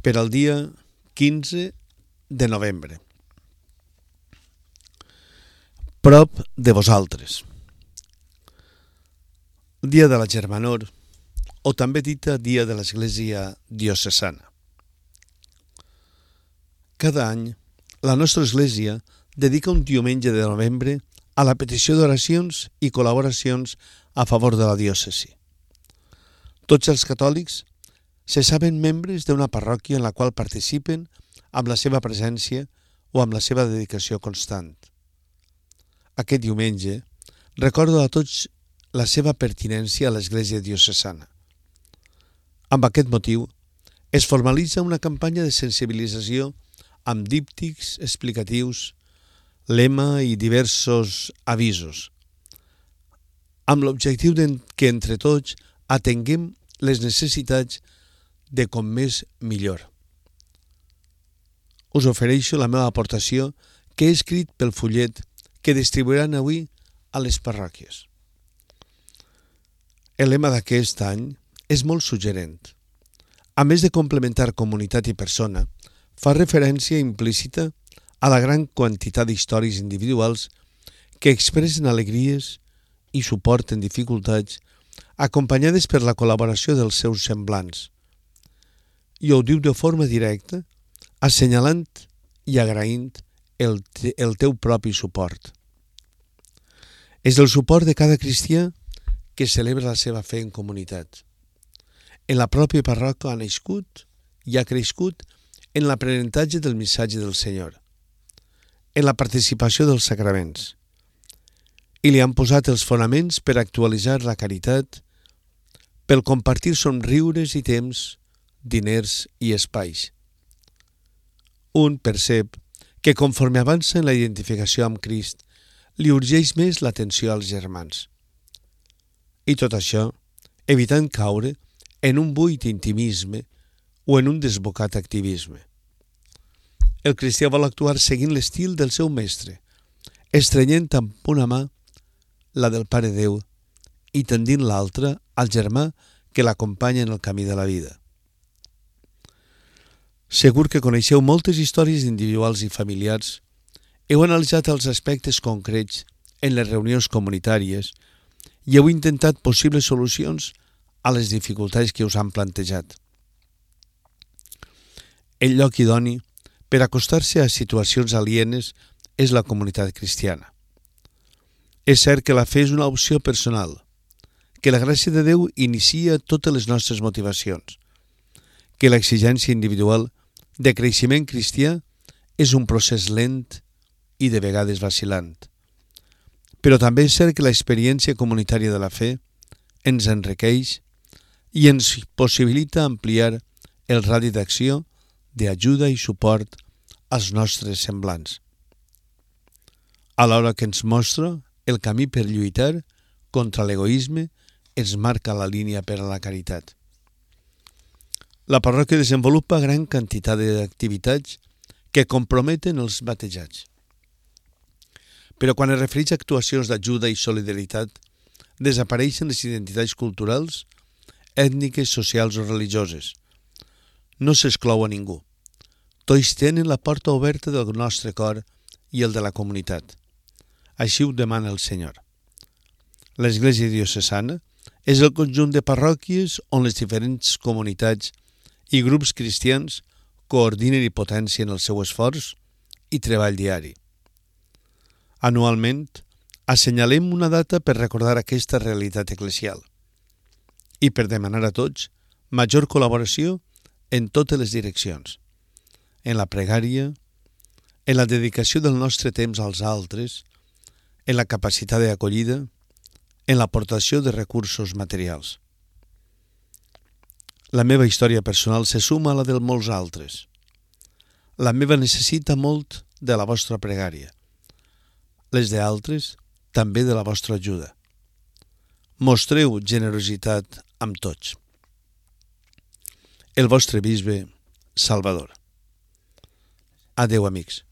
per al dia 15 de novembre. Prop de vosaltres. Dia de la Germanor, o també dita Dia de l'Església Diocesana. Cada any, la nostra Església dedica un diumenge de novembre a la petició d'oracions i col·laboracions a favor de la diòcesi. Tots els catòlics se saben membres d'una parròquia en la qual participen amb la seva presència o amb la seva dedicació constant. Aquest diumenge recordo a tots la seva pertinència a l'Església Diocesana. Amb aquest motiu, es formalitza una campanya de sensibilització amb díptics explicatius, lema i diversos avisos, amb l'objectiu que entre tots atenguem les necessitats de com més millor. Us ofereixo la meva aportació que he escrit pel fullet que distribuiran avui a les parròquies. El lema d'aquest any és molt suggerent. A més de complementar comunitat i persona, fa referència implícita a la gran quantitat d'històries individuals que expressen alegries i suporten dificultats acompanyades per la col·laboració dels seus semblants. I ho diu de forma directa, assenyalant i agraint el teu propi suport. És el suport de cada cristià que celebra la seva fe en comunitat. En la pròpia parròquia ha nascut i ha crescut en l'aprenentatge del missatge del Senyor, en la participació dels sacraments, i li han posat els fonaments per actualitzar la caritat, pel compartir somriures i temps, diners i espais. Un percep que conforme avança en la identificació amb Crist, li urgeix més l'atenció als germans. I tot això, evitant caure en un buit intimisme o en un desbocat activisme. El cristià vol actuar seguint l'estil del seu mestre, estrenyent amb una mà la del Pare Déu i tendint l'altra al germà que l'acompanya en el camí de la vida. Segur que coneixeu moltes històries individuals i familiars, heu analitzat els aspectes concrets en les reunions comunitàries i heu intentat possibles solucions a les dificultats que us han plantejat. El lloc idoni per acostar-se a situacions alienes és la comunitat cristiana. És cert que la fe és una opció personal, que la gràcia de Déu inicia totes les nostres motivacions, que l'exigència individual de creixement cristià és un procés lent i de vegades vacil·lant. Però també és cert que l'experiència comunitària de la fe ens enriqueix i ens possibilita ampliar el radi d'acció d'ajuda i suport als nostres semblants, alhora que ens mostra el camí per lluitar contra l'egoisme, ens marca la línia per a la caritat. La parròquia desenvolupa gran quantitat d'activitats que comprometen els batejats. Però quan es refereix a actuacions d'ajuda i solidaritat, desapareixen les identitats culturals, ètniques, socials o religioses. No s'exclou a ningú. Tots tenen la porta oberta del nostre cor i el de la comunitat. Així ho demana el Senyor. L'Església Diocesana és el conjunt de parròquies on les diferents comunitats i grups cristians coordinen i potencien el seu esforç i treball diari. Anualment, assenyalem una data per recordar aquesta realitat eclesial i per demanar a tots major col·laboració en totes les direccions, en la pregària, en la dedicació del nostre temps als altres, en la capacitat d'acollida, en l'aportació de recursos materials. La meva història personal se suma a la de molts altres. La meva necessita molt de la vostra pregària. Les d'altres, també de la vostra ajuda. Mostreu generositat amb tots. El vostre bisbe Salvador. Adéu, amics.